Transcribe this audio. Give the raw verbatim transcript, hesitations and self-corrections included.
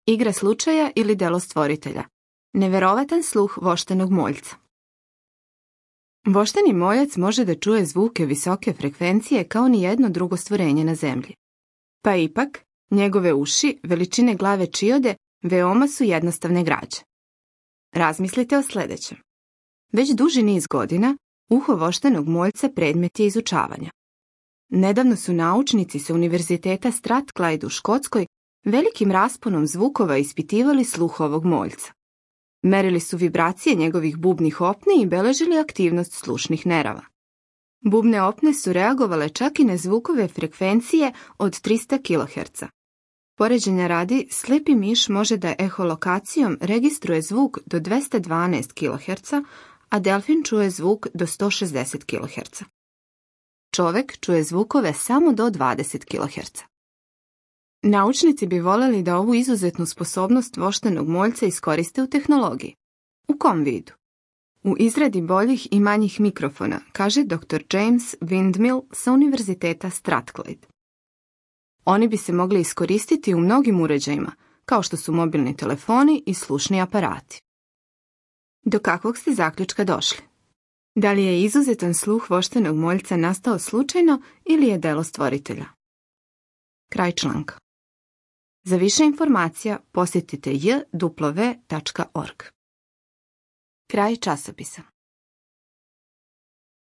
Igra slučaja ili delo stvoritelja. Neverovatan sluh voštanog moljca. Voštani moljac može da čuje zvuke visoke frekvencije kao ni jedno drugo stvorenje na zemlji. Pa ipak, njegove uši, veličine glave čiode, veoma su jednostavne građe. Razmislite o sljedećem. Već duži niz godina, uho voštanog moljca predmet je izučavanja. Nedavno su naučnici sa Univerziteta Strathclyde u Škotskoj velikim rasponom zvukova ispitivali sluh ovog moljca. Merili su vibracije njegovih bubnih opni i beležili aktivnost slušnih nerava. Bubne opne su reagovale čak i na zvukove frekvencije od trista kiloherca. Poređenja radi, slepi miš može da eholokacijom registruje zvuk do dvesta dvanaest kiloherca, a delfin čuje zvuk do sto šezdeset kiloherca. Čovek čuje zvukove samo do dvadeset kiloherca. Naučnici bi voljeli da ovu izuzetnu sposobnost voštanog moljca iskoriste u tehnologiji. U kom vidu? U izradi boljih i manjih mikrofona, kaže doktor James Windmill sa Univerziteta Strathclyde. Oni bi se mogli iskoristiti u mnogim uređajima, kao što su mobilni telefoni i slušni aparati. Do kakvog ste zaključka došli? Da li je izuzetan sluh voštanog moljca nastao slučajno ili je delo stvoritelja? Kraj članka. Za više informacija posjetite j w tačka org. Kraj časopisa.